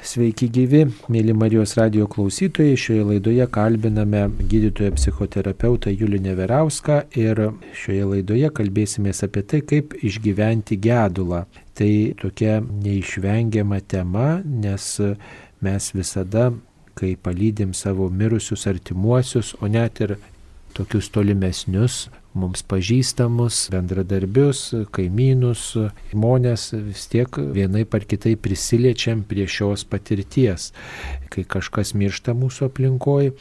Sveiki gyvi, mėly Marijos radijo klausytojai. Šioje laidoje kalbiname gydytoją psichoterapeutą Julių Neverauską ir šioje laidoje kalbėsimės apie tai, kaip išgyventi gedulą. Tai tokia neišvengiama tema, nes mes visada, kai palydim savo mirusius artimuosius, o net ir tokius tolimesnius, mums pažįstamus, bendradarbius, kaimynus, žmonės vis tiek vienaip ar kitaip prisiliečiam prie šios patirties. Kai kažkas miršta mūsų aplinkoje,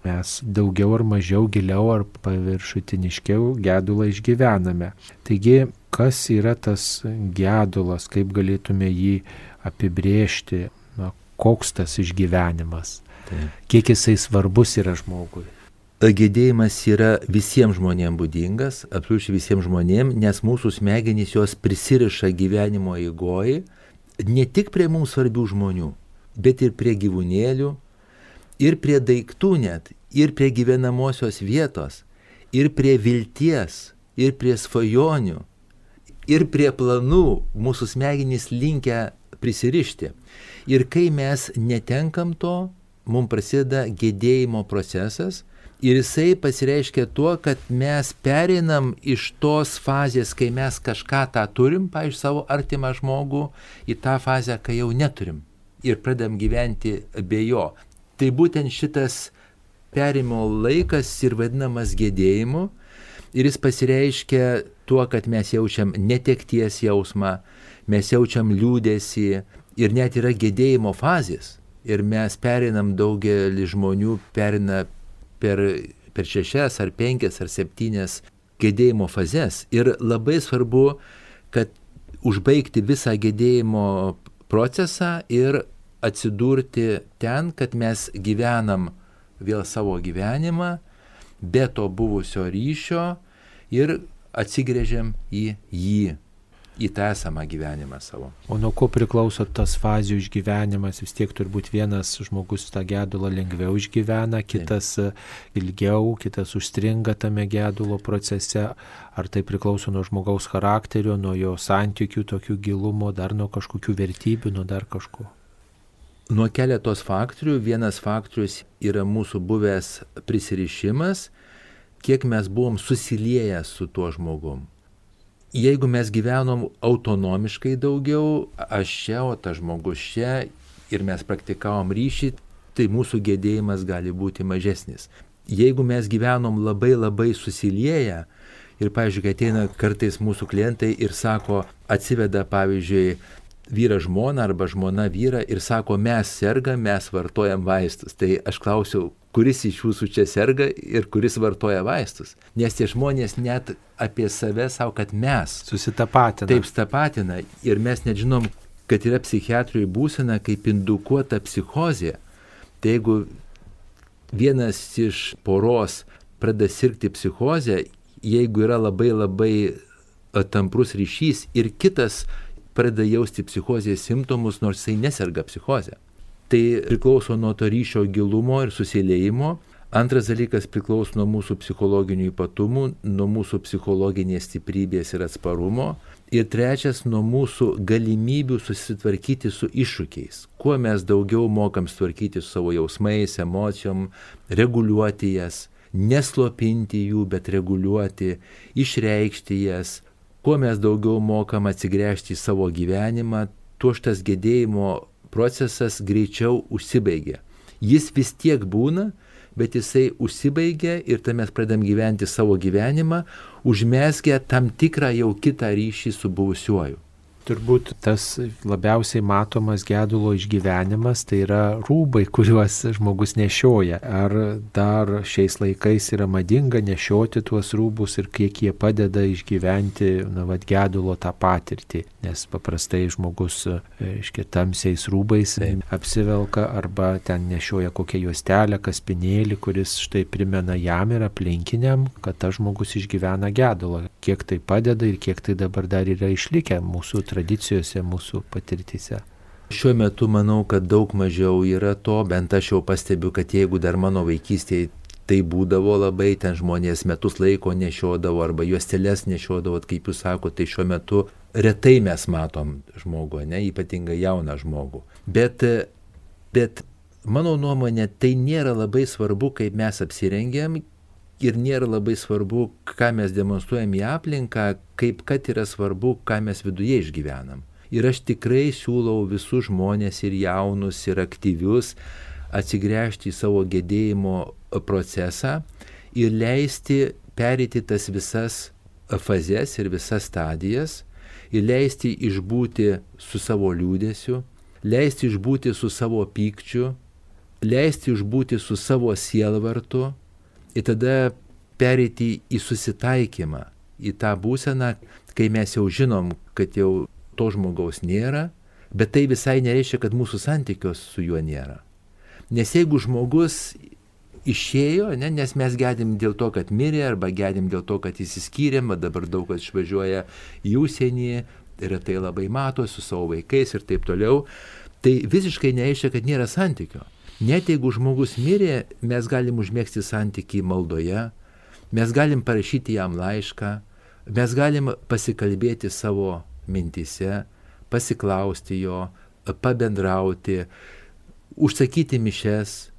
mes daugiau ar mažiau, giliau ar paviršutiniškiau gedulą išgyvename. Taigi, kas yra tas gedulas, kaip galėtume jį apibrėžti, koks tas išgyvenimas, kiek jisai svarbus yra žmogui? Gedėjimas yra visiems žmonėms būdingas, absoliučiai visiems žmonėms, nes mūsų smegenys jos prisiriša gyvenimo eigoje ne tik prie mums svarbių žmonių, bet ir prie gyvūnėlių, ir prie daiktų net, ir prie gyvenamosios vietos, ir prie vilties, ir prie svajonių, ir prie planų mūsų smegenys linkę prisirišti. Ir kai mes netenkam to, mums prasideda gedėjimo procesas. Ir jisai pasireiškia tuo, kad mes pereinam iš tos fazės, kai mes kažką tą turim, pavyzdžiui, savo artimą žmogų, į tą fazę, kai jau neturim. Ir pradedam gyventi be jo. Tai būtent šitas perėjimo laikas ir vadinamas gedėjimu. Ir jis pasireiškia tuo, kad mes jaučiam netekties jausmą, mes jaučiam liūdesį ir net yra gedėjimo fazės. Ir mes pereinam, daugelį žmonių pereina per 6 ar 5 ar 7 gedėjimo fazes. Ir labai svarbu, kad užbaigti visą gedėjimo procesą ir atsidurti ten, kad mes gyvenam vėl savo gyvenimą, be to buvusio ryšio ir atsigręžiam į jį, į tą esamą gyvenimą savo. O nuo ko priklauso tas fazių išgyvenimas? Vis tiek turbūt vienas žmogus tą gedulą lengviau išgyvena, kitas ilgiau, kitas užstringa tame gedulo procese. Ar tai priklauso nuo žmogaus charakterio, nuo jo santykių, tokių gilumo, dar nuo kažkokių vertybių, nuo dar kažko? Nuo keletos faktorių. Vienas faktorius yra mūsų buvęs prisirišimas, kiek mes buvom susilieję su tuo žmogum. Jeigu mes gyvenom autonomiškai daugiau, aš čia, o tas žmogus čia, ir mes praktikavom ryšį, tai mūsų gedėjimas gali būti mažesnis. Jeigu mes gyvenom labai susilieję, ir, pavyzdžiui, kai ateina kartais mūsų klientai ir sako, atsiveda, pavyzdžiui, vyra žmona arba žmona vyra ir sako, mes sergam, mes vartojam vaistus. Tai aš klausiau, kuris iš jūsų čia serga ir kuris vartoja vaistus. Nes tie žmonės net apie save savo, kad mes susitapatina. Taip tapatina. Ir mes net žinom, kad yra psichiatrijoje būsena kaip indukuota psichozė. Tai jeigu vienas iš poros pradeda sirgti psichozę, jeigu yra labai tamprus ryšys ir kitas pradeda jausti psichozės simptomus, nors jisai neserga psichozę. Tai priklauso nuo to ryšio gilumo ir susiliejimo. Antras dalykas priklauso nuo mūsų psichologinių ypatumų, nuo mūsų psichologinės stiprybės ir atsparumo. Ir trečias, nuo mūsų galimybių susitvarkyti su iššūkiais. Kuo mes daugiau mokam sutvarkyti su savo jausmais, emocijom, reguliuoti jas, neslopinti jų, bet reguliuoti, išreikšti jas. Kuo mes daugiau mokam atsigręžti į savo gyvenimą, tuo šitas gedėjimo procesas greičiau užsibaigia. Jis vis tiek būna, bet jisai užsibaigia ir tai mes pradedam gyventi savo gyvenimą, užmezgę tam tikrą jau kitą ryšį su buvusiuoju. Turbūt tas labiausiai matomas gedulo išgyvenimas tai yra rūbai, kuriuos žmogus nešioja. Ar dar šiais laikais yra madinga nešioti tuos rūbus ir kiek jie padeda išgyventi gedulo tą patirtį. Nes paprastai žmogus tamsiais rūbais apsivelka arba ten nešioja kokią juostelę, kaspinėlį, kuris štai primena jam ir aplinkiniam, kad tas žmogus išgyvena gedulą. Kiek tai padeda ir kiek tai dabar dar yra išlikę mūsų tradicijose, mūsų patirtyse. Šiuo metu manau, kad daug mažiau yra to, bent aš jau pastebiu, kad jeigu dar mano vaikystėje tai būdavo labai, ten žmonės metus laiko nešiodavo arba juosteles nešiodavo, kaip jūs sakote, tai šiuo metu retai mes matom žmogų, ne, ypatingai jauną žmogų. Bet Bet mano nuomonė, tai nėra labai svarbu, kaip mes apsirengiam ir nėra labai svarbu, ką mes demonstruojam į aplinką, kaip kad yra svarbu, ką mes viduje išgyvenam. Ir aš tikrai siūlau visus žmonės ir jaunus, ir aktyvius atsigręžti į savo gedėjimo procesą ir leisti pereiti tas visas fazes ir visas stadijas ir leisti išbūti su savo liūdesiu, leisti išbūti su savo pykčiu, leisti išbūti su savo sielvartu ir tada pereiti į susitaikymą, į tą būseną, kai mes jau žinom, kad jau to žmogaus nėra, bet tai visai nereiškia, kad mūsų santykios su juo nėra. Nes jeigu žmogus išėjo, nes mes gedim dėl to, kad mirė, arba gedim dėl to, kad įsiskyrėm, dabar daug kas išvažiuoja į užsienį, retai labai mato su savo vaikais ir taip toliau, tai visiškai nereiškia, kad nėra santykio. Net jeigu žmogus mirė, mes galim užmėgsti santykį maldoje, mes galim parašyti jam laišką, mes galim pasikalbėti savo mintyse, pasiklausti jo, pabendrauti, užsakyti mišias,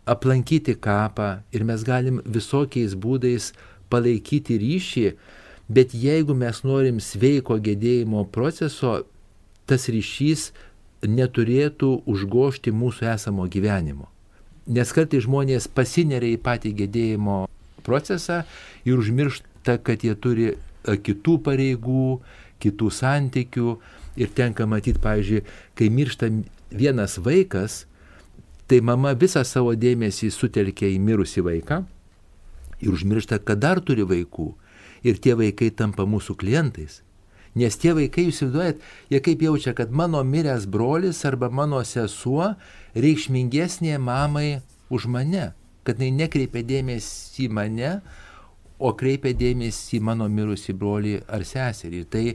aplankyti kapą ir mes galim visokiais būdais palaikyti ryšį, bet jeigu mes norim sveiko gedėjimo proceso, tas ryšys neturėtų užgožti mūsų esamo gyvenimo. Nes kartais žmonės pasineria į patį gedėjimo procesą ir užmiršta, kad jie turi kitų pareigų, kitų santykių ir tenka matyti, pavyzdžiui, kai miršta vienas vaikas, tai mama visą savo dėmesį sutelkia į mirusį vaiką ir užmiršta, kad dar turi vaikų ir tie vaikai tampa mūsų klientais. Nes tie vaikai, jūs įsivaizduojat, jie kaip jaučia, kad mano miręs brolis arba mano sesuo reikšmingesnė mamai už mane, kad jinai nekreipia dėmesį į mane, o kreipia dėmesį į mano mirusį brolį ar seserį. Ir tai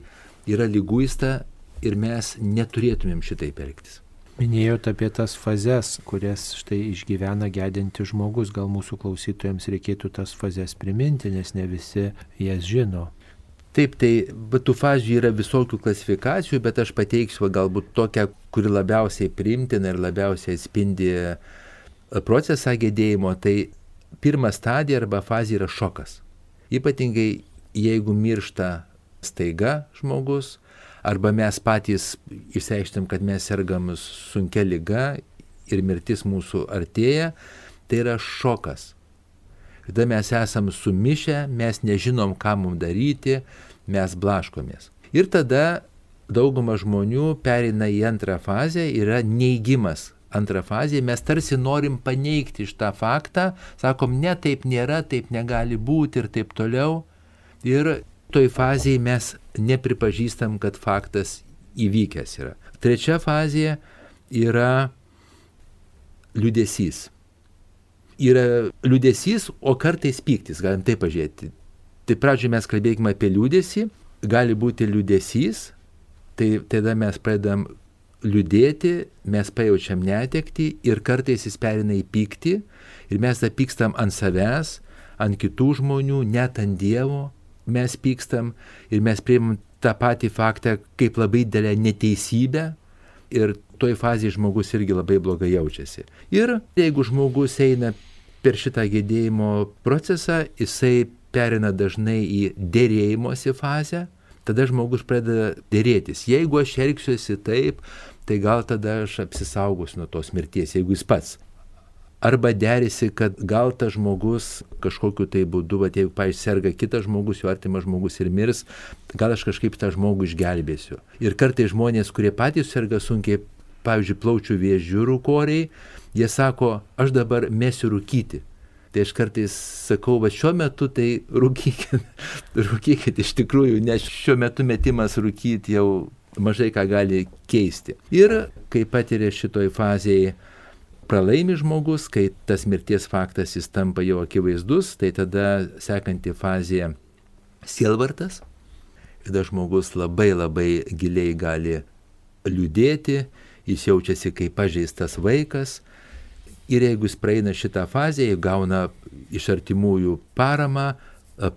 yra liguista ir mes neturėtumėm šitaip elgtis. Minėjote apie tas fazes, kurias štai išgyvena gedintis žmogus. Gal mūsų klausytojams reikėtų tas fazes priminti, nes ne visi jas žino. Taip, tai tų fazių yra visokių klasifikacijų, bet aš pateiksiu galbūt tokią, kuri labiausiai priimtina ir labiausiai atspindi procesą gedėjimo. Tai pirma stadija arba fazė yra šokas. Ypatingai jeigu miršta staiga žmogus, arba mes patys išsiaiškinam, kad mes sergam sunkia liga ir mirtis mūsų artėja, tai yra šokas. Tada mes esam sumišę, mes nežinom, ką mums daryti, mes blaškomės. Ir tada dauguma žmonių pereina į antrą fazę, yra neigimas. Antra fazė, mes tarsi norim paneigti šitą faktą, sakom, ne, taip nėra, taip negali būti ir taip toliau. Ir toj fazėje mes nepripažįstam, kad faktas įvykęs yra. Trečia fazė yra liūdesys. Yra liūdesys, o kartais pyktis, galim taip pažiūrėti. Tai pradžioje mes kalbėkime apie liūdesį, gali būti liūdesys, tai tada mes pradedam liūdėti, mes pajaučiam netektį ir kartais jis perina į pyktį ir mes tą pykstam ant savęs, ant kitų žmonių, net ant Dievo mes pykstam ir mes priimam tą patį faktą kaip labai didelę neteisybę ir toj fazėje žmogus irgi labai blogai jaučiasi. Ir jeigu žmogus eina per šitą gedėjimo procesą, jisai perina dažnai į derėjimosi fazę, tada žmogus pradeda derėtis. Jeigu aš elgsiuosi taip, tai gal tada aš apsisaugosiu nuo tos mirties, jeigu jis pats. Arba derisi, kad gal tas žmogus kažkokiu tai būdu, jeigu, pavyzdžiui, serga kitas žmogus, jo artimas žmogus ir mirs, gal aš kažkaip tą žmogų išgelbėsiu. Ir kartais žmonės, kurie patys serga sunkiai, pavyzdžiui, plaučių vėžiu rūkoriai, jie sako, aš dabar mesiu rūkyti. Tai aš kartais sakau, va šiuo metu tai rūkykit iš tikrųjų, nes šiuo metu metimas rūkyti jau mažai ką gali keisti. Ir kai patiria šitoj fazėje pralaimi žmogus, kai tas mirties faktas jis tampa jau akivaizdus, tai tada sekanti fazė sielvartas. Tada žmogus labai labai giliai gali liūdėti, jis jaučiasi kaip pažeistas vaikas. Ir jeigu jis praeina šitą fazę, jis gauna iš artimųjų paramą,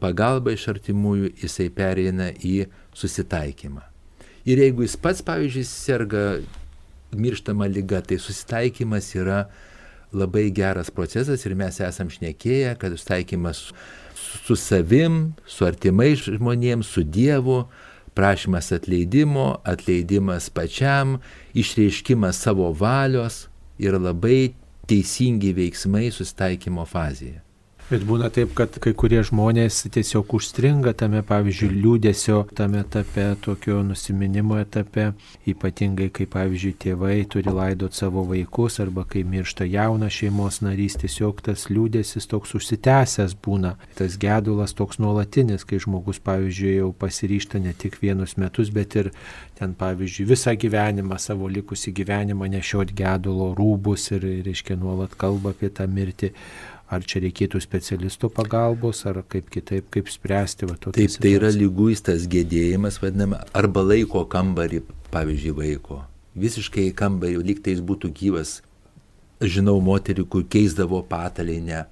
pagalbą iš artimųjų, jisai pereina į susitaikymą. Ir jeigu jis pats, pavyzdžiui, serga mirštama liga. Tai susitaikymas yra labai geras procesas ir mes esam šnekėję, kad susitaikymas su savim, su artimais žmonėms, su Dievu, prašymas atleidimo, atleidimas pačiam, išreiškimas savo valios yra labai teisingi veiksmai susitaikymo fazėje. Bet būna taip, kad kai kurie žmonės tiesiog užstringa tame, pavyzdžiui, liūdesio tame etape, tokio nusiminimo etape, ypatingai kai, pavyzdžiui, tėvai turi laidot savo vaikus arba kai miršta jaunas šeimos narys, tiesiog tas liūdesis toks užsitęsęs būna. Tas gedulas toks nuolatinis, kai žmogus, pavyzdžiui, jau pasiryžta ne tik vienus metus, bet ir ten, pavyzdžiui, visą gyvenimą, savo likusį gyvenimą nešiot gedulo rūbus ir, reiškia, nuolat kalba apie tą mirtį. Ar čia reikėtų specialisto pagalbos, ar kaip kitaip, kaip spręsti va tokią situaciją? Taip, tai yra liguistas gedėjimas, vadinama, arba laiko kambarį, pavyzdžiui, vaiko. Visiškai kambarį, lyg tai jis būtų gyvas. Žinau moterį, kur keisdavo patalynę,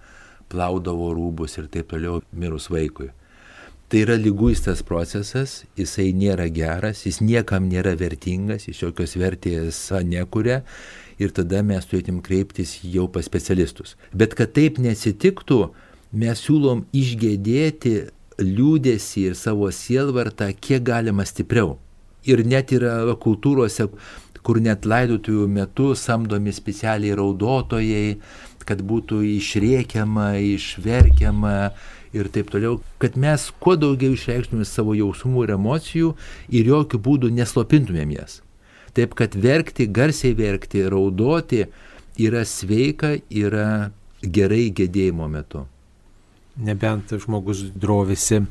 plaudavo rūbus ir taip toliau mirus vaikui. Tai yra liguistas procesas, jisai nėra geras, jis niekam nėra vertingas, jis jokios vertės nekuria. Ir tada mes turėtum kreiptis jau pas specialistus. Bet kad taip nesitiktų, mes siūlom išgedėti liūdesį ir savo sielvartą kiek galima stipriau. Ir net yra kultūrose, kur net laidotuvių metu samdomi specialiai raudotojai, kad būtų išrėkiama, išverkiama ir taip toliau, kad mes kuo daugiau išreikštume savo jausmų ir emocijų ir jokių būdų neslopintumėm jas. Taip, kad verkti, garsiai verkti, raudoti yra sveika, yra gerai gedėjimo metu. Nebent žmogus drovisi,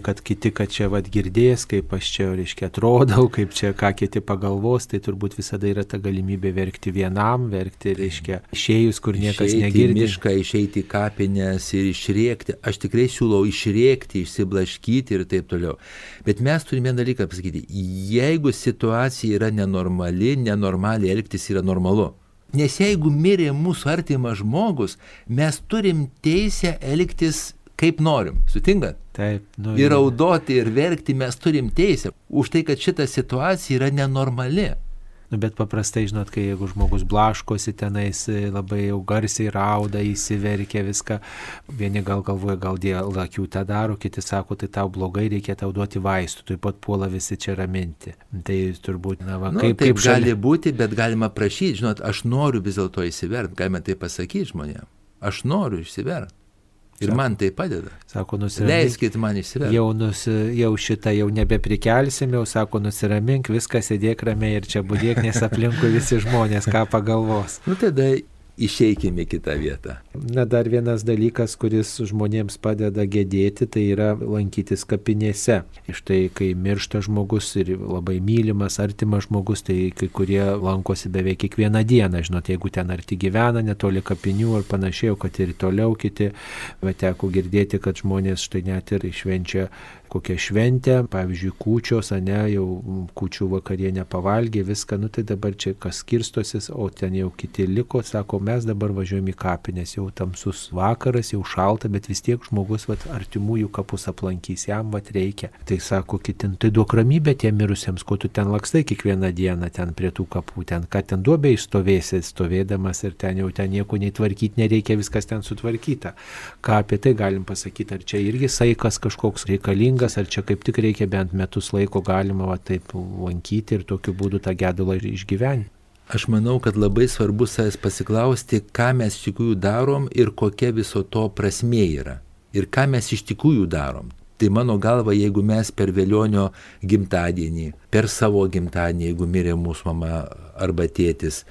kad kiti, kad čia vat girdės, kaip aš čia, reiškia, atrodau, kaip čia, ką kiti pagalvos, tai turbūt visada yra ta galimybė verkti vienam, verkti, reiškia, išėjus, kur niekas negirdi. Išeiti į mišką, išeiti į kapines ir išrėkti. Aš tikrai siūlau išrėkti, išsiblaškyti ir taip toliau. Bet mes turime vieną dalyką pasakyti. Jeigu situacija yra nenormali, nenormaliai elgtis yra normalu. Nes jeigu mirė mūsų artimas žmogus, mes turim teisę elgtis kaip norim. Sutinkat? Taip. Ir raudoti, ir verkti mes turim teisę. Už tai, kad šita situacija yra nenormali. Bet paprastai, žinot, kai jeigu žmogus blaškosi tenais, labai jau garsiai rauda, įsiverkia viską, vieni gal galvoja, gal dėl akių tą daro, kiti sako, tai tau blogai, reikia tau duoti vaistų, taip pat puola visi čia raminti. Tai turbūt, na va, kaip gali būti, bet galima prašyti, žinot, aš noriu vis dėlto įsiverti, galime tai pasakyti žmonėms, aš noriu įsiverti. Ir man tai padeda. Sako, leiskit man įsiverti. Jau šitą jau nebeprikelsim, jau sako, nusiramink, viską sėdėk ramiai ir čia budėk, nes aplinkui visi žmonės, ką pagalvos. Tada išeikime į kitą vietą. Na, dar vienas dalykas, kuris žmonėms padeda gedėti, tai yra lankytis kapinėse. Štai, kai miršta žmogus ir labai mylimas, artimas žmogus, tai kai kurie lankosi beveik kiekvieną dieną. Žinot, jeigu ten arti gyvena, netoli kapinių ar panašiai, kad ir toliau kiti, bet teko girdėti, kad žmonės štai net ir švenčia kokią šventę, pavyzdžiui, kūčios, jau kūčių vakarienę pavalgė, viską, tai dabar čia kas skirstosis, o ten jau kiti liko, sako, mes dabar važiuojame į kapines, jau tamsus vakaras, jau šalta, bet vis tiek žmogus artimųjų kapus aplankys, jam reikia. Tai sako, kiti, tai duok ramybę tiem mirusiems, ko tu ten lakstai kiekvieną dieną ten prie tų kapų, ten, kad ten duobė išstovėsi, stovėdamas ir ten jau ten nieko nei tvarkyti nereikia, viskas ten sutvarkyta. Ką apie tai galim pasakyti, ar čia irgi saikas kažkoks reikalingas, ar čia kaip tik reikia bent metus laiko galima taip lankyti ir tokiu būdu tą gedulą išgyventi? Aš manau, kad labai svarbu savęs pasiklausti, ką mes iš tikrųjų darom ir kokia viso to prasmė yra. Ir ką mes iš tikrųjų darom. Tai mano galva, jeigu mes per Velionio gimtadienį, per savo gimtadienį, jeigu mirė mūsų mama arba tėtis,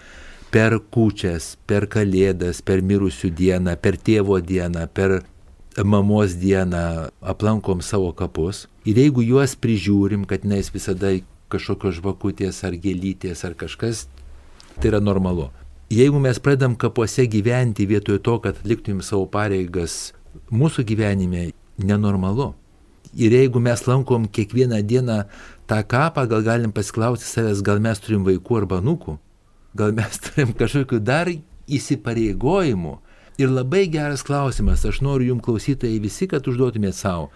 per kūčias, per kalėdas, per mirusių dieną, per tėvo dieną, per mamos dieną aplankom savo kapus ir jeigu juos prižiūrim, kad nes visada kažkokios žvakutės ar gėlytės ar kažkas, tai yra normalu. Jeigu mes pradedam kapuose gyventi vietoj to, kad atliktumėm savo pareigas mūsų gyvenime, nenormalu. Ir jeigu mes lankom kiekvieną dieną tą kapą, gal galim pasiklausti savęs, gal mes turim vaikų arba anūkų, gal mes turim kažkokių dar įsipareigojimų. Ir labai geras klausimas, aš noriu jums klausytojai visi, kad užduotumėte savo,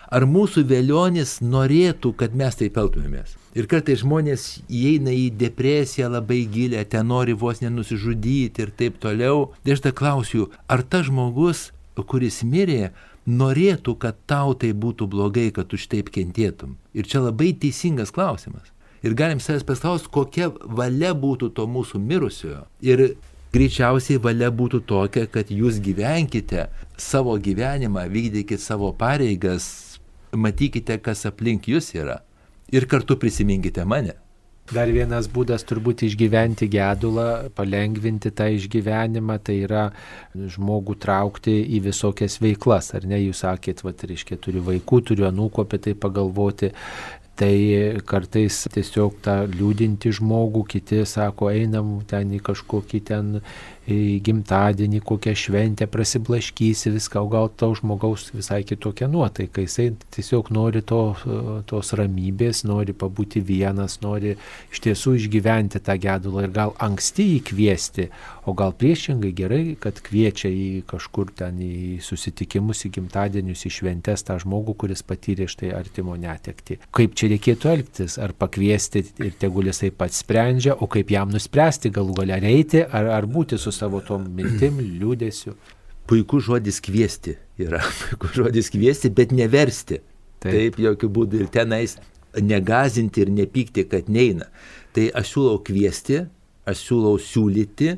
Ar mūsų velionis norėtų, kad mes taip elgtumėmės? Ir kartais žmonės įeina į depresiją labai gilę, ten nori vos nenusižudyti ir taip toliau. Tai aš klausiu, ar tas žmogus, kuris mirė, norėtų, kad tau tai būtų blogai, kad tu šitaip kentėtum? Ir čia labai teisingas klausimas. Ir galim savęs paklausti, kokia valia būtų to mūsų mirusiojo. Ir greičiausiai valia būtų tokia, kad jūs gyvenkite savo gyvenimą, vykdykite savo pareigas, matykite, kas aplink jūs yra ir kartu prisiminkite mane. Dar vienas būdas turbūt išgyventi gedulą, palengvinti tą išgyvenimą, tai yra žmogų traukti į visokias veiklas. Ar ne, jūs sakėt, reiškia, turiu vaikų, turiu anūkų, apie tai pagalvoti. Tai kartais tiesiog tą liūdinti žmogų, kiti sako, einam ten į kažkokį ten į gimtadienį, kokią šventę, prasiblaškysi viską, o gal to žmogaus visai kitokia nuotaika. Jisai tiesiog nori tos ramybės, nori pabūti vienas, nori iš tiesų išgyventi tą gedulą ir gal anksti jį kviesti, o gal priešingai gerai, kad kviečia į kažkur ten į susitikimus, į gimtadienius, į šventes tą žmogų, kuris patyrė štai artimo netektį. Kaip čia reikėtų elgtis, ar pakviesti ir tegul jisai pats sprendžia, o kaip jam nuspręsti galų gale eiti, ar būti su savo tom mintim, liūdėsiu. Puikus žodis kviesti yra, puikus žodis kviesti, bet neversti. Taip, jokių būdų ir tenais negazinti ir nepykti, kad neina. Tai aš siūlau kviesti, aš siūlau siūlyti,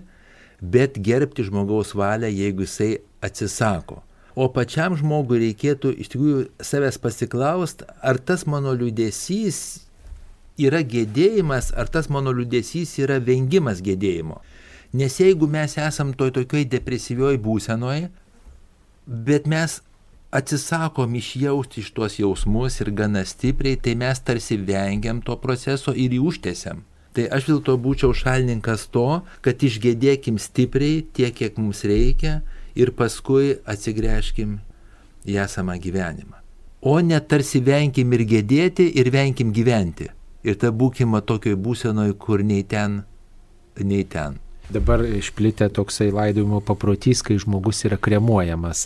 bet gerbti žmogaus valią, jeigu jisai atsisako. O pačiam žmogui reikėtų iš tikrųjų savęs pasiklausti, ar tas mano liūdesys yra gedėjimas, ar tas mano liūdesys yra vengimas gedėjimo. Nes jeigu mes esam tokioj depresyvioj būsenoje, bet mes atsisakom išjausti iš tuos jausmus ir gana stipriai, tai mes tarsi vengiam to proceso ir jį užtęsiam. Tai aš dėl to būčiau šalininkas to, kad išgedėkim stipriai tiek, kiek mums reikia ir paskui atsigręžkim į esamą gyvenimą. O ne tarsi venkim ir gedėti ir venkim gyventi. Ir ta būkime tokioj būsenoje, kur nei ten, nei ten. Dabar išplitę toksai laidojimo paprotys, kai žmogus yra kremuojamas.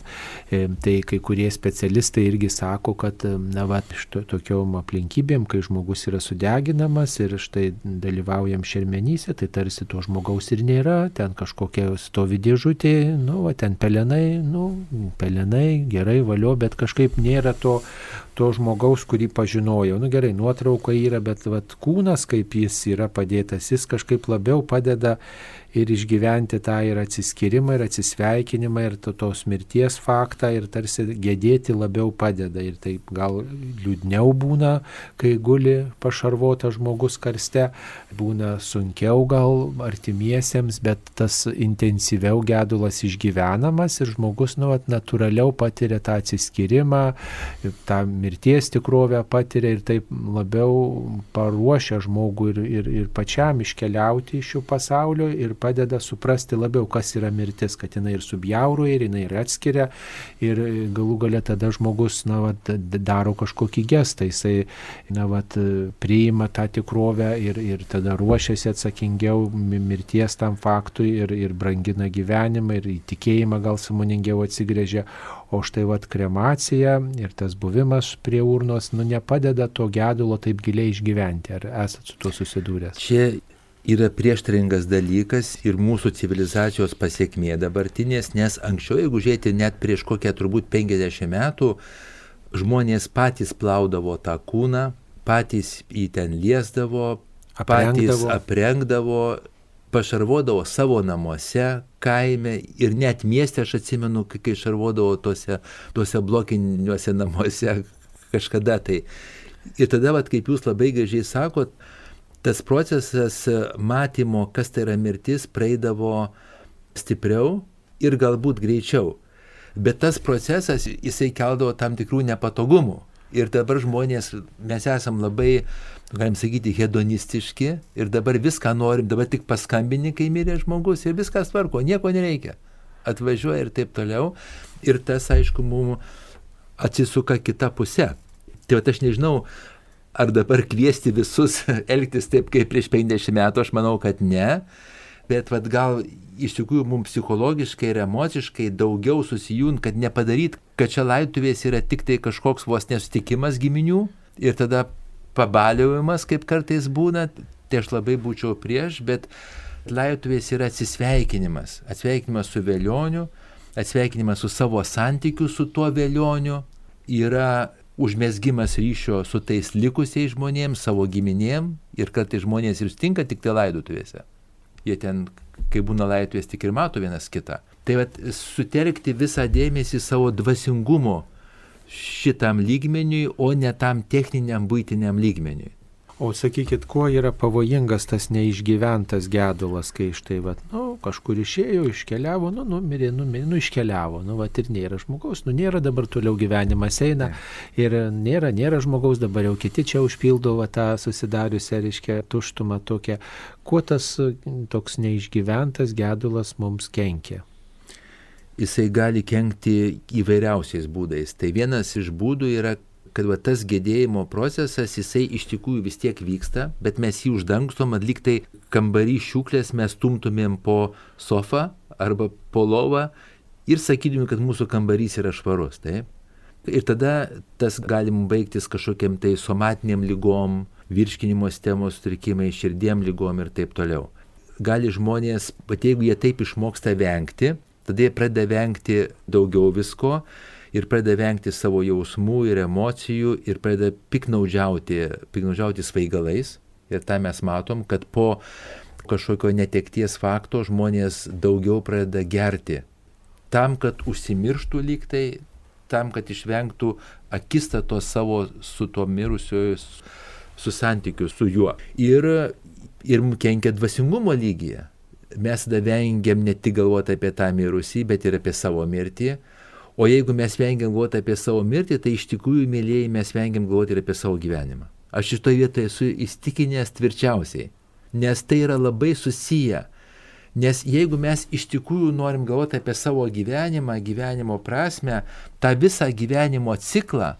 Tai kai kurie specialistai irgi sako, kad tokiom aplinkybėm, kai žmogus yra sudeginamas ir štai dalyvaujam šermenyse, tai tarsi to žmogaus ir nėra, ten kažkokia stovi dėžutė, ten pelenai, gerai, valio, bet kažkaip nėra to žmogaus, kurį pažinojau. Gerai, nuotrauka yra, bet kūnas, kaip jis yra padėtas, jis kažkaip labiau padeda ir išgyventi tą ir atsiskyrimą, ir atsisveikinimą, ir tos mirties faktą, ir tarsi gedėti labiau padeda. Ir taip gal liūdniau būna, kai guli pašarvotas žmogus karste, būna sunkiau gal artimiesiems, bet tas intensyviau gedulas išgyvenamas ir žmogus natūraliau patiria tą atsiskyrimą, tą mirties tikrovę patiria ir taip labiau paruošia žmogų ir pačiam iškeliauti iš šių pasaulio ir padeda suprasti labiau, kas yra mirtis, kad jinai ir subjauroja, ir jinai ir atskiria, ir galų gale tada žmogus daro kažkokį gestą, jisai priima tą tikrovę ir tada ruošiasi atsakingiau mirties tam faktui ir brangina gyvenimą ir į tikėjimą gal sąmoningiau atsigręžia. O štai kremacija ir tas buvimas prie urnos nepadeda to gedulo taip giliai išgyventi. Ar esat su tuo susidūręs? Čia yra prieštaringas dalykas ir mūsų civilizacijos pasiekmė dabartinės, nes anksčiau, jeigu žiūrėti net prieš kokią turbūt 50 metų, žmonės patys plaudavo tą kūną, patys jį ten liesdavo, patys aprengdavo, pašarvodavo savo namuose, kaime ir net mieste, aš atsimenu, kai šarvodavo tuose blokiniuose namuose kažkada tai. Ir tada, kaip jūs labai gražiai sakot, tas procesas matymo, kas tai yra mirtis, praeidavo stipriau ir galbūt greičiau. Bet tas procesas, jisai keldavo tam tikrų nepatogumų. Ir dabar žmonės, mes esam labai, galim sakyti, hedonistiški ir dabar viską norim, dabar tik paskambini, kai mirė žmogus ir viskas tvarko, nieko nereikia. Atvažiuoja ir taip toliau. Ir tas, aišku, mums atsisuka kita pusė. Tai aš nežinau, ar dabar kviesti visus elgtis taip, kaip prieš 50 metų, aš manau, kad ne. bet gal iš tikrųjų mums psichologiškai ir emociškai daugiau susijungt, kad nepadaryt, kad čia laidotuvės yra tik tai kažkoks vos nesutikimas giminių ir tada pabaliojimas, kaip kartais būna, tai aš labai būčiau prieš, bet laidotuvės yra atsisveikinimas su velioniu, atsisveikinimas su savo santykiu su tuo velioniu, yra užmezgimas ryšio su tais likusiais žmonėms, savo giminėm, ir kartais žmonės ir sutinka tik tai laidotuvėse. Jie ten, kai būna laidotuvės, tik ir mato vienas kitą. Tai sutelkti visą dėmesį savo dvasingumo šitam lygmeniui, o ne tam techniniam buitiniam lygmeniui. O sakykit, kuo yra pavojingas tas neišgyventas gedulas, kai štai, kažkur išėjo, iškeliavo, numirė, iškeliavo, ir nėra žmogaus, nėra dabar toliau gyvenimas eina ir nėra žmogaus, dabar jau kiti čia užpildo tą susidariusią, reiškia, tuštumą tokią. Kuo tas toks neišgyventas gedulas mums kenkia? Jisai gali kenkti įvairiausiais būdais. Tai vienas iš būdų yra, kad tas gedėjimo procesas, jisai iš tikrųjų vis tiek vyksta, bet mes jį uždangstom, lyg tai kambarį šiukšlės mes stumtumėm po sofą arba po lovą ir sakytumėm, kad mūsų kambarys yra švarus. Taip? Ir tada tas galim baigtis kažkokiam tai somatiniam lygom, virškinimo sistemos sutrikimai, širdiem lygom ir taip toliau. Gali žmonės, bet jeigu jie taip išmoksta vengti, tada jie pradeda vengti daugiau visko, ir pradeda vengti savo jausmų ir emocijų ir pradeda piknaudžiauti svaigalais. Ir tą mes matom, kad po kažkokio netekties fakto žmonės daugiau pradeda gerti. Tam, kad užsimirštų lyg tai, tam, kad išvengtų akistatos savo su tuo mirusiu, su santykiu su juo. Ir kenkia dvasingumo lygyje. Mes tada vengiam ne tik galvoti apie tą mirusį, bet ir apie savo mirtį. O jeigu mes vengiam galvoti apie savo mirtį, tai iš tikrųjų, mėlėjai, mes vengiam galvoti ir apie savo gyvenimą. Aš šitoje vietoje esu įstikinęs tvirčiausiai, nes tai yra labai susiję. Nes jeigu mes iš tikrųjų norim galvoti apie savo gyvenimą, gyvenimo prasmę, tą visą gyvenimo ciklą,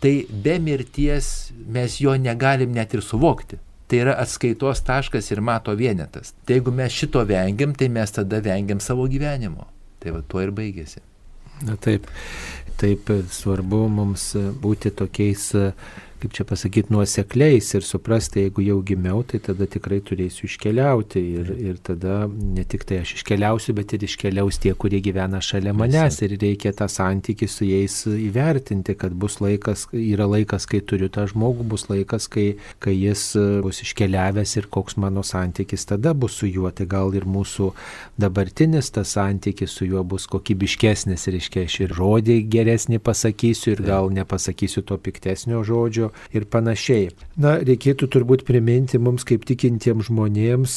tai be mirties mes jo negalim net ir suvokti. Tai yra atskaitos taškas ir mato vienetas. Tai jeigu mes šito vengiam, tai mes tada vengiam savo gyvenimo. Tai tuo ir baigėsi. Na taip svarbu mums būti tokiais, kaip čia pasakyti, nuosekliais ir suprasti, jeigu jau gimiau, tai tada tikrai turėsiu iškeliauti ir tada ne tik tai aš iškeliausiu, bet ir iškeliaus tie, kurie gyvena šalia manęs ir reikia tą santykį su jais įvertinti, kad yra laikas, kai turiu tą žmogų, bus laikas, kai jis bus iškeliavęs ir koks mano santykis tada bus su juo, tai gal ir mūsų dabartinis tas santykis su juo bus kokybiškesnis, reiškia, aš ir žodį geresnį pasakysiu ir gal nepasakysiu to piktesnio žodžio ir panašiai. Na, reikėtų turbūt priminti mums kaip tikintiems žmonėms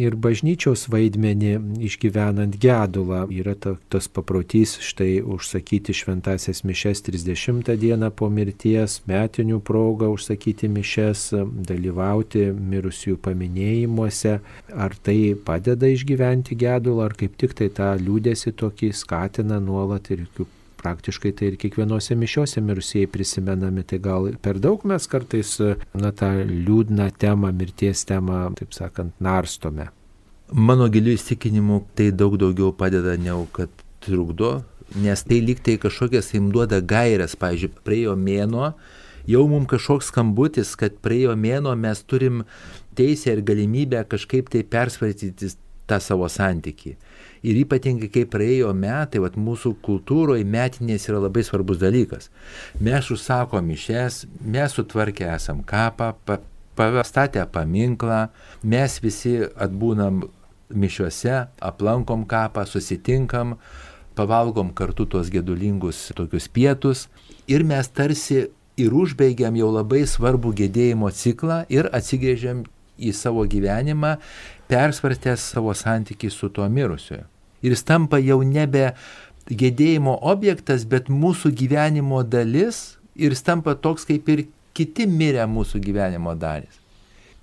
ir bažnyčios vaidmenį išgyvenant gedulą. Yra tas paprotys štai užsakyti šventąsias mišias 30 dieną po mirties, metinių progą užsakyti mišias, dalyvauti mirusiųjų paminėjimuose. Ar tai padeda išgyventi gedulą, ar kaip tik tai tą liūdesį tokį skatina nuolat ir praktiškai tai ir kiekvienose mišiose mirusieji prisimenami, tai gal per daug mes kartais tą liūdną temą, mirties temą, taip sakant, narstome. Mano giliu įsitikinimu tai daug daugiau padeda, negu kad trukdo, nes tai lyg tai kažkokias jums duoda gairias, pavyzdžiui, praėjo mėnuo, jau mums kažkoks skambutis, kad praėjo mėnuo, mes turim teisę ir galimybę kažkaip tai persvarstyti tą savo santykį. Ir ypatingai, kai praėjo metai, mūsų kultūroje metinės yra labai svarbus dalykas. Mes užsakom mišias, mes sutvarkę esam kapą, pastatę paminklą, mes visi atbūnam mišiuose, aplankom kapą, susitinkam, pavalgom kartu tos gedulingus tokius pietus ir mes tarsi ir užbaigiam jau labai svarbų gedėjimo ciklą ir atsigrėžiam į savo gyvenimą, persvarstęs savo santykį su tuo mirusiu. Ir jis tampa jau nebe gedėjimo objektas, bet mūsų gyvenimo dalis ir jis tampa toks kaip ir kiti mirę mūsų gyvenimo dalis.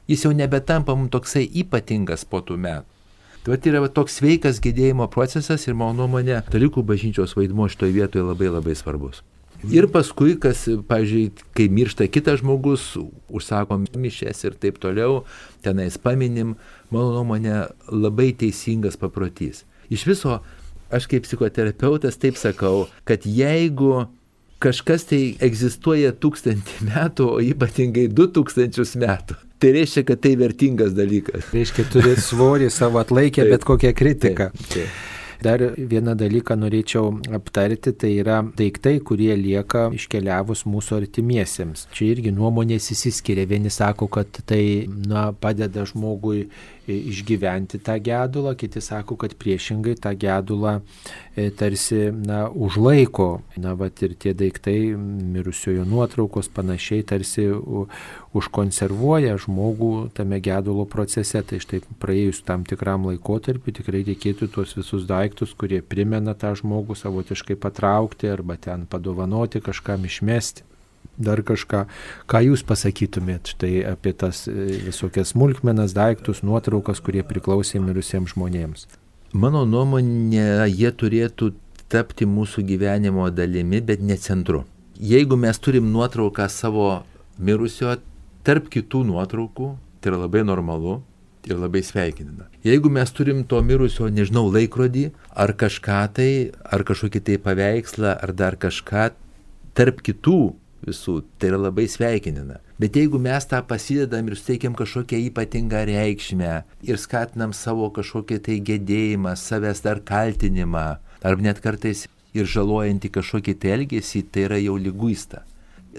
Jis jau nebetampa mums toksai ypatingas po tų metų. Tai yra toks sveikas gedėjimo procesas ir mano nuomonė, katalikų bažnyčios vaidmuo šitoje vietoje labai labai svarbus. Ir paskui, pavyzdžiui, kai miršta kitas žmogus, užsakom mišias ir taip toliau, tenais paminim, mano nuomonė, labai teisingas paprotys. Iš viso, aš kaip psichoterapeutas taip sakau, kad jeigu kažkas tai egzistuoja 1000 metų, o ypatingai 2000 metų, tai reiškia, kad tai vertingas dalykas. Reiškia, turi svorį savo atlaikę bet kokią kritiką. Taip. Dar vieną dalyką norėčiau aptarti, tai yra daiktai, kurie lieka iškeliavus mūsų artimiesiems. Čia irgi nuomonės išsiskiria. Vieni sako, kad tai padeda žmogui išgyventi tą gedulą, kiti sako, kad priešingai tą gedulą tarsi užlaiko. Ir tie daiktai, mirusiojo nuotraukos panašiai, tarsi užkonservuoja žmogų tame gedulo procese. Tai štai praėjus tam tikram laikotarpiu tikrai reikėtų tuos visus daiktus, kurie primena tą žmogų, savotiškai patraukti arba ten padovanoti, kažkam išmesti. Dar kažką, ką jūs pasakytumėt štai apie tas visokias smulkmenas, daiktus, nuotraukas, kurie priklausė mirusiems žmonėms? Mano nuomonė, jie turėtų tapti mūsų gyvenimo dalimi, bet ne centru. Jeigu mes turim nuotrauką savo mirusio tarp kitų nuotraukų, tai yra labai normalu ir labai sveikinina. Jeigu mes turim to mirusio, nežinau, laikrodį, ar kažką tai, ar kažkokį tai paveikslą, ar dar kažką tarp kitų visų, tai yra labai sveikinina. Bet jeigu mes tą pasidedam ir suteikiam kažkokią ypatingą reikšmę ir skatinam savo kažkokį tai gedėjimą, savęs dar kaltinimą, ar net kartais ir žalojantį kažkokį tai elgesį, tai yra jau liguista.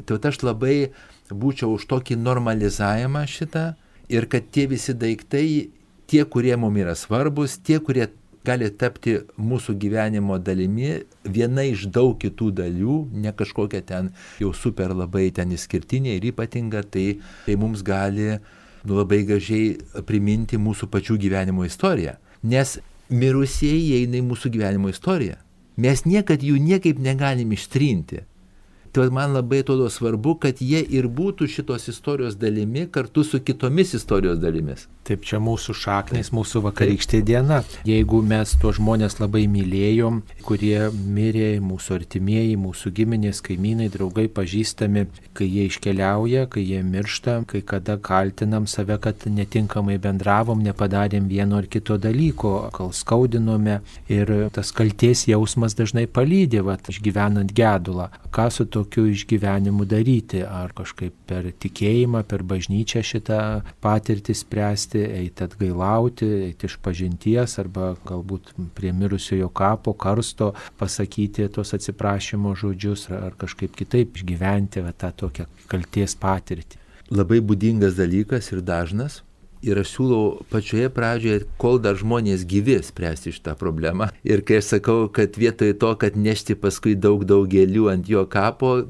Tai aš labai būčiau už tokį normalizavimą šitą ir kad tie visi daiktai, tie, kurie mums yra svarbus, tie, kurie gali tapti mūsų gyvenimo dalimi, viena iš daug kitų dalių, ne kažkokia ten jau super labai ten išskirtinė ir ypatinga, tai mums gali labai gražiai priminti mūsų pačių gyvenimo istoriją. Nes mirusieji eina į mūsų gyvenimo istoriją. Mes niekad jų niekaip negalim ištrinti. Tai man labai atrodo svarbu, kad jie ir būtų šitos istorijos dalimi kartu su kitomis istorijos dalimis. Taip, čia mūsų šaknys, mūsų vakarykštė diena. Jeigu mes tuos žmonės labai mylėjom, kurie mirė, mūsų artimieji, mūsų giminės, kaimynai, draugai, pažįstami, kai jie iškeliauja, kai jie miršta, kai kada kaltinam save, kad netinkamai bendravom, nepadarėm vieno ar kito dalyko, gal skaudinome ir tas kaltės jausmas dažnai palydė, išgyvenant gedulą. Ką su tokiu išgyvenimu daryti? Ar kažkaip per tikėjimą, per bažnyčią šitą patirtį spręsti, eiti atgailauti, eiti iš pažinties arba galbūt prie mirusiojo kapo karsto pasakyti tos atsiprašymo žodžius ar kažkaip kitaip išgyventi tą tokią kaltės patirtį. Labai būdingas dalykas ir dažnas. Ir aš siūlau pačioje pradžioje, kol dar žmonės gyvi, spręsti šitą problemą. Ir kai aš sakau, kad vietoj to, kad nešti paskui daug gėlių ant jo kapo,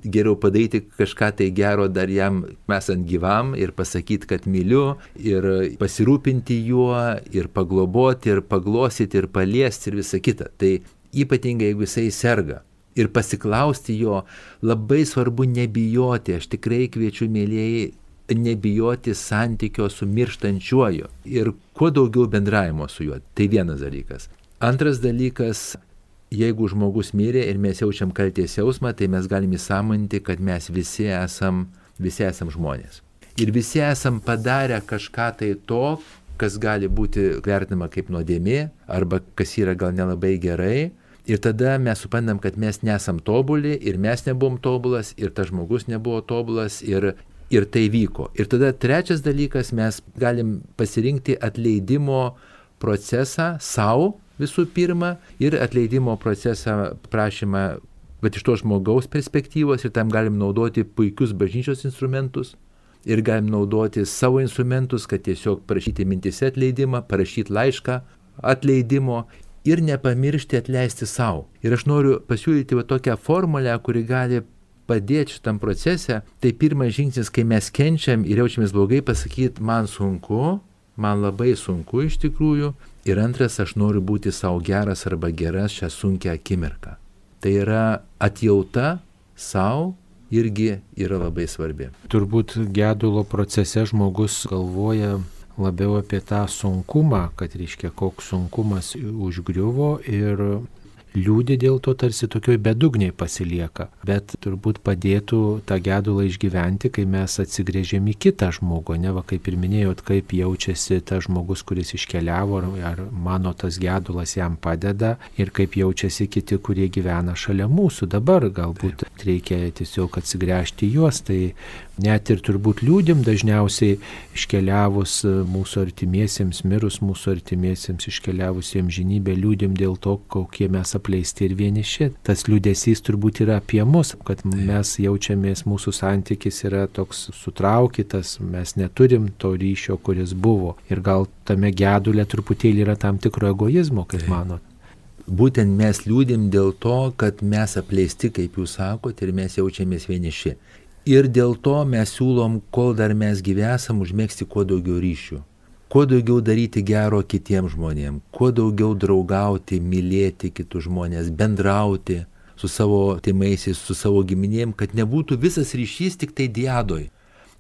geriau padaryti kažką tai gero dar jam esant gyvam ir pasakyti, kad myliu, ir pasirūpinti juo, ir pagloboti, ir paglostyti, ir paliesti, ir visa kita. Tai ypatingai, jeigu jisai serga. Ir pasiklausti jo, labai svarbu nebijoti. Aš tikrai kviečiu, mėlėjai, nebijoti santykio su mirštančiuoju ir kuo daugiau bendravimo su juo. Tai vienas dalykas. Antras dalykas, jeigu žmogus mirė ir mes jaučiam kaltės jausmą, tai mes galim įsąmoninti, kad mes visi esam žmonės. Ir visi esam padarę kažką tai to, kas gali būti vertinama kaip nuodėmė arba kas yra gal nelabai gerai. Ir tada mes suprantam, kad mes nesam tobuli ir mes nebuvom tobulas ir tas žmogus nebuvo tobulas ir tai vyko. Ir tada trečias dalykas, mes galim pasirinkti atleidimo procesą savo visų pirma ir atleidimo procesą prašymą, bet iš to žmogaus perspektyvos ir tam galim naudoti puikius bažnyčios instrumentus ir galim naudoti savo instrumentus, kad tiesiog parašyti mintise atleidimą, parašyti laišką atleidimo ir nepamiršti atleisti savo. Ir aš noriu pasiūlyti tokią formulę, kuri gali padėti šitam procese. Tai pirmas žingsnis, kai mes kenčiam ir jaučiamės blogai, pasakyti, man sunku, man labai sunku iš tikrųjų. Ir antras, aš noriu būti savo geras arba geras šią sunkią akimirką. Tai yra atjauta savo irgi yra labai svarbi. Turbūt gedulo procese žmogus galvoja labiau apie tą sunkumą, kad reiškia, koks sunkumas užgriuvo ir liūdi dėl to, tarsi tokioj bedugniai pasilieka. Bet turbūt padėtų tą gedulą išgyventi, kai mes atsigrėžėm į kitą žmogų, ne, va, kaip ir minėjot, kaip jaučiasi tas žmogus, kuris iškeliavo, ar mano tas gedulas jam padeda ir kaip jaučiasi kiti, kurie gyvena šalia mūsų. Dabar galbūt reikia tiesiog atsigręžti juos, tai net ir turbūt liūdim dažniausiai iškeliavus mūsų artimiesiems, mirus mūsų artimiesiems, iškeliavus į amžinybę, liūdim dėl to, kokie mes apleisti ir vieniši. Tas liūdesys turbūt yra apie mus, kad mes jaučiamės, mūsų santykis yra toks sutraukytas, mes neturim to ryšio, kuris buvo. Ir gal tame gedule truputėlį yra tam tikro egoizmo, kaip manot. Būtent mes liūdim dėl to, kad mes apleisti, kaip jūs sakote, ir mes jaučiamės vieniši. Ir dėl to mes siūlom, kol dar mes gyvesam, užmėgsti kuo daugiau ryšių. Kuo daugiau daryti gero kitiems žmonėms, kuo daugiau draugauti, mylėti kitus žmonės, bendrauti su savo artimaisiais, su savo giminėm, kad nebūtų visas ryšys tik tai diadoj.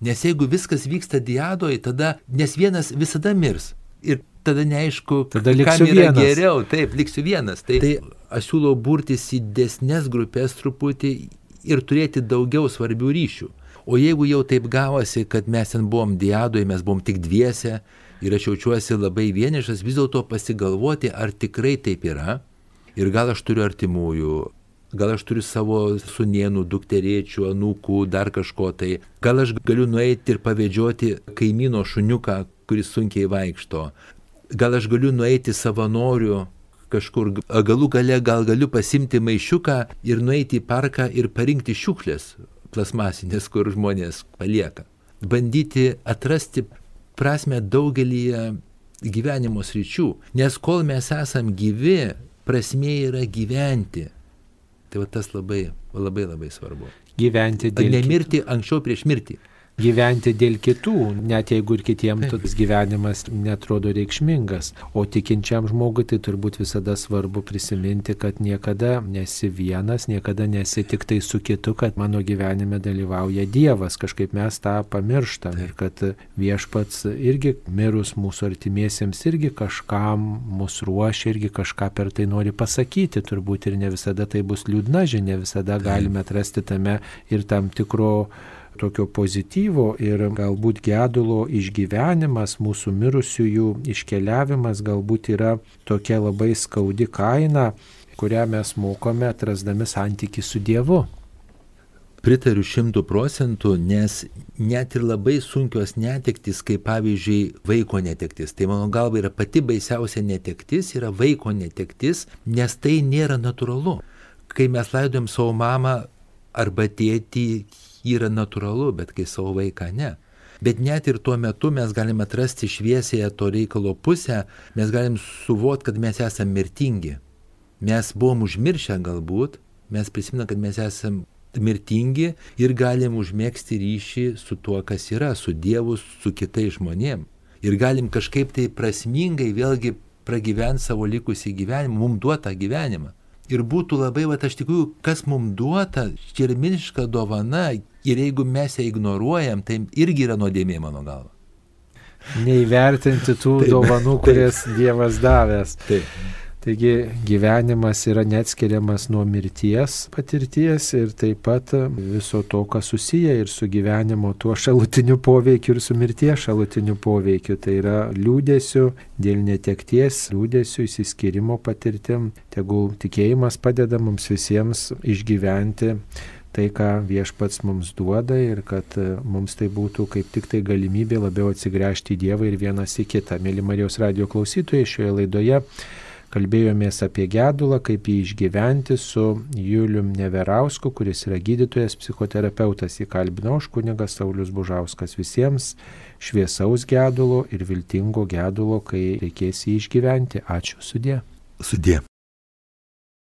Nes jeigu viskas vyksta diadoj, tada, nes vienas visada mirs. Ir tada neaišku, tada kam yra vienas. Geriau. Taip, liksiu vienas. Tai aš siūlau burtis į desnes grupės truputį ir turėti daugiau svarbių ryšių. O jeigu jau taip gavosi, kad mes ten buvom diadoj, mes buvom tik dviese ir aš jaučiuosi labai vienišas, vis dėlto pasigalvoti, ar tikrai taip yra. Ir gal aš turiu artimųjų, gal aš turiu savo sūnėnų, dukterėčių, anūkų, dar kažko tai. Gal aš galiu nueiti ir pavedžioti kaimyno šuniuką, kuris sunkiai vaikšto. Gal aš galiu nueiti savanoriu kažkur, galų gale gal galiu pasimti maišiuką ir nueiti į parką ir parinkti šiukšlės plasmasinės, kur žmonės palieka. Bandyti atrasti prasme daugelį gyvenimo sričių, nes kol mes esam gyvi, prasmė yra gyventi. Tai va tas labai svarbu. Gyventi dėl nemirti anksčiau prieš mirtį. Gyventi dėl kitų, net jeigu ir kitiems tas gyvenimas netrodo reikšmingas. O tikinčiam žmogui tai turbūt visada svarbu prisiminti, kad niekada nesi vienas, niekada nesi tik tai su kitu, kad mano gyvenime dalyvauja Dievas. Kažkaip mes tą pamirštam ir kad Viešpats irgi mirus mūsų artimiesiems irgi kažkam mus ruošia, irgi kažką per tai nori pasakyti. Turbūt ir ne visada tai bus liūdna žinia, visada galime atrasti tame ir tam tikro tokio pozityvo ir galbūt gedulo išgyvenimas, mūsų mirusiųjų iškeliavimas galbūt yra tokia labai skaudi kaina, kurią mes mokome atrasdami santykį su Dievu. Pritariu 100%, nes net ir labai sunkios netektis, kaip pavyzdžiui vaiko netektis. Tai mano galva yra pati baisiausia netektis, yra vaiko netektis, nes tai nėra natūralu. Kai mes laidojam savo mamą arba tėtį, yra natūralu, bet kai savo vaiką ne. Bet net ir tuo metu mes galime atrasti šviesėje to reikalo pusę, mes galim suvokti, kad mes esame mirtingi. Mes buvom užmiršę galbūt, mes prisiminam, kad mes esame mirtingi ir galim užmėgsti ryšį su tuo, kas yra, su Dievu, su kitais žmonėm. Ir galim kažkaip tai prasmingai vėlgi pragyventi savo likusį gyvenimą, mums duotą gyvenimą. Ir būtų labai, aš tikiu, kas mums duota, čia yra milžiniška dovana, ir jeigu mes ją ignoruojam, tai irgi yra nuodėmė mano galva. Neįvertinti tų dovanų, kurias Dievas davęs. Taigi gyvenimas yra neatskiriamas nuo mirties patirties ir taip pat viso to, kas susiję ir su gyvenimo tuo šalutiniu poveikiu ir su mirties šalutiniu poveikiu. Tai yra liūdėsiu dėl netekties, liūdėsiu išsiskyrimo patirtim. Tegul tikėjimas padeda mums visiems išgyventi tai, ką Viešpats mums duoda ir kad mums tai būtų kaip tik tai galimybė labiau atsigręžti į Dievą ir vienas į kitą. Mėly Marijos radijo klausytojai, šioje laidoje kalbėjomės apie gedulą, kaip jį išgyventi su Julium Neverausku, kuris yra gydytojas, psichoterapeutas. Jį kalbino aš, kunigas Saulius Bužauskas. Visiems šviesaus gedulo ir viltingo gedulo, kai reikės jį išgyventi. Ačiū, sudie. Sudie.